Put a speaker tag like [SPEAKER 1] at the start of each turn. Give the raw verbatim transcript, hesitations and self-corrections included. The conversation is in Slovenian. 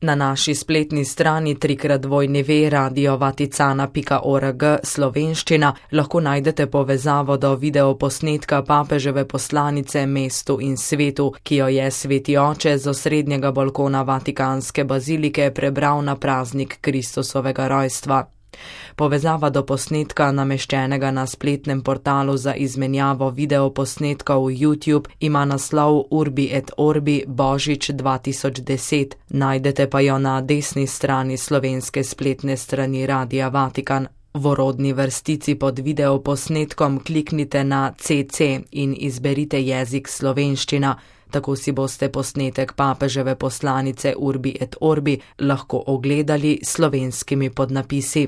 [SPEAKER 1] Na naši spletni strani trikrat dvojni ve radio vaticana pika org slovenščina lahko najdete povezavo do videoposnetka papeževe poslanice mestu in svetu, ki jo je sveti oče z osrednjega balkona Vatikanske bazilike prebral na praznik Kristusovega rojstva. Povezava do posnetka, nameščenega na spletnem portalu za izmenjavo videoposnetkov YouTube, ima naslov Urbi et Orbi Božič dva tisoč deset, najdete pa jo na desni strani slovenske spletne strani Radia Vatikan. V orodni vrstici pod videoposnetkom kliknite na C C in izberite jezik slovenščina, tako si boste posnetek papeževe poslanice Urbi et Orbi lahko ogledali s slovenskimi podnapisi.